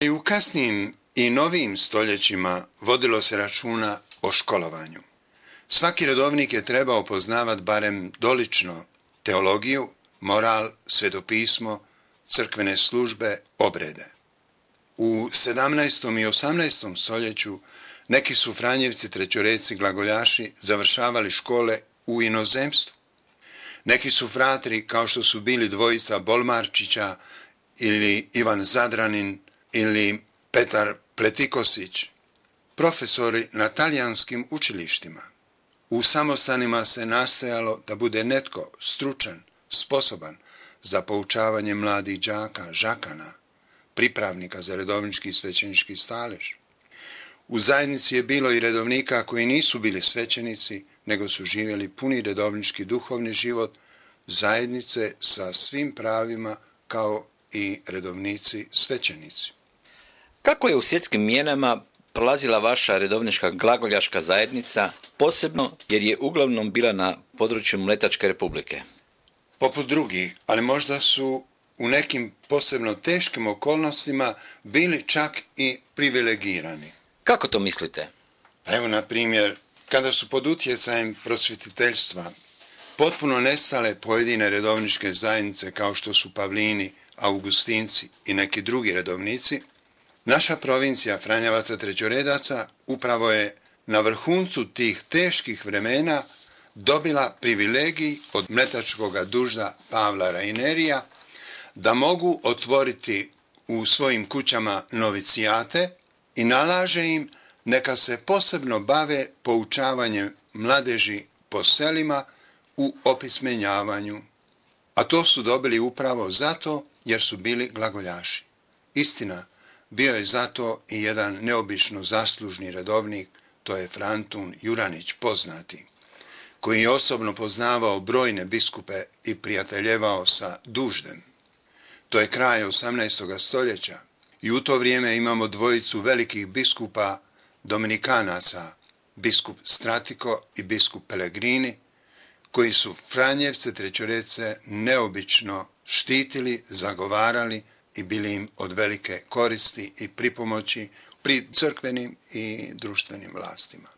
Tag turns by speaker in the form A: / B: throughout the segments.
A: I u kasnijim i novijim stoljećima vodilo se računa o školovanju. Svaki redovnik je trebao poznavati barem dolično teologiju, moral, svetopismo, crkvene službe, obrede. U 17. i 18. stoljeću neki su Franjevci, trećoreci, glagoljaši završavali škole u inozemstvu. Neki su fratri, kao što su bili dvojica Bolmarčića ili Ivan Zadranin ili Petar Pletikosić, profesori na talijanskim učilištima. U samostanima se nastojalo da bude netko stručan, sposoban za poučavanje mladih đaka, žakana, pripravnika za redovnički i svećenički stalež. U zajednici je bilo i redovnika koji nisu bili svećenici, nego su živjeli puni redovnički duhovni život zajednice sa svim pravima kao i redovnici svećenici.
B: Kako je u svjetskim mijenama prolazila vaša redovnička glagoljaška zajednica, posebno jer je uglavnom bila na području Mletačke republike?
A: Poput drugih, ali možda su u nekim posebno teškim okolnostima bili čak i privilegirani.
B: Kako to mislite?
A: Evo, na primjer, kada su pod utjecajem prosvjetiteljstva potpuno nestale pojedine redovničke zajednice kao što su Pavlini, Augustinci i neki drugi redovnici, naša provincija Franjevaca trećoredaca upravo je na vrhuncu tih teških vremena dobila privilegij od mletačkoga dužda Pavla Rainerija da mogu otvoriti u svojim kućama novicijate i nalaže im neka se posebno bave poučavanjem mladeži po selima u opismenjavanju. A to su dobili upravo zato jer su bili glagoljaši. Istina, bio je zato i jedan neobično zaslužni redovnik, to je Frantun Juranić poznati, koji je osobno poznavao brojne biskupe i prijateljevao sa duždem. To je kraj 18. stoljeća i u to vrijeme imamo dvojicu velikih biskupa Dominikanaca, biskup Stratiko i biskup Pellegrini, koji su Franjevce trećorece neobično štitili, zagovarali i bili im od velike koristi i pripomoći pri crkvenim i društvenim vlastima.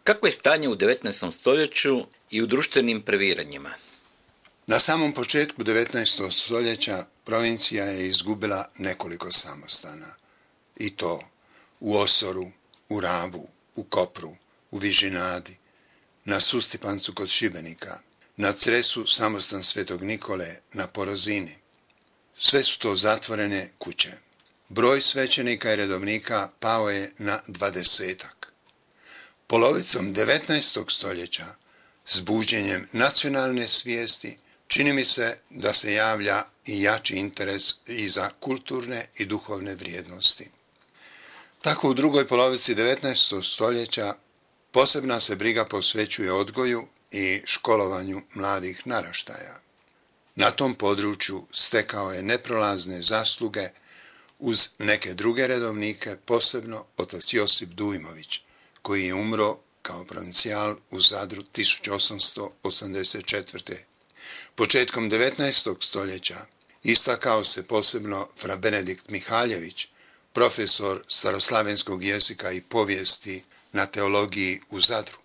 B: Kako je stanje u 19. stoljeću i u društvenim previranjima?
A: Na samom početku 19. stoljeća provincija je izgubila nekoliko samostana. I to u Osoru, u Rabu, u Kopru, u Vižinadi, na Sustipancu kod Šibenika, na Cresu samostan Svetog Nikole, na Porozini. Sve su to zatvorene kuće. Broj svećenika i redovnika pao je na 20-ak. Polovicom 19. stoljeća, s buđenjem nacionalne svijesti, čini mi se da se javlja i jači interes i za kulturne i duhovne vrijednosti. Tako u drugoj polovici 19. stoljeća posebna se briga posvećuje odgoju i školovanju mladih naraštaja. Na tom području stekao je neprolazne zasluge uz neke druge redovnike, posebno otac Josip Dujmović, koji je umro kao provincijal u Zadru 1884. Početkom 19. stoljeća istakao se posebno fra Benedikt Mihaljević, profesor staroslavenskog jezika i povijesti na teologiji u Zadru.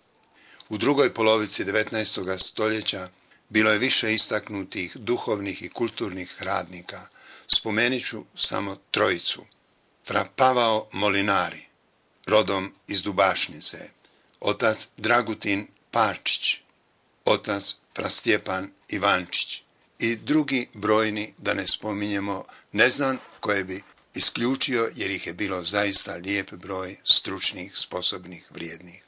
A: U drugoj polovici 19. stoljeća bilo je više istaknutih duhovnih i kulturnih radnika. Spomenut ću samo trojicu. Fra Pavao Molinari, rodom iz Dubašnice, otac Dragutin Parčić, otac fra Stjepan Ivančić i drugi brojni, da ne spominjemo, ne znam koje bi isključio jer ih je bilo zaista lijep broj stručnih, sposobnih, vrijednih.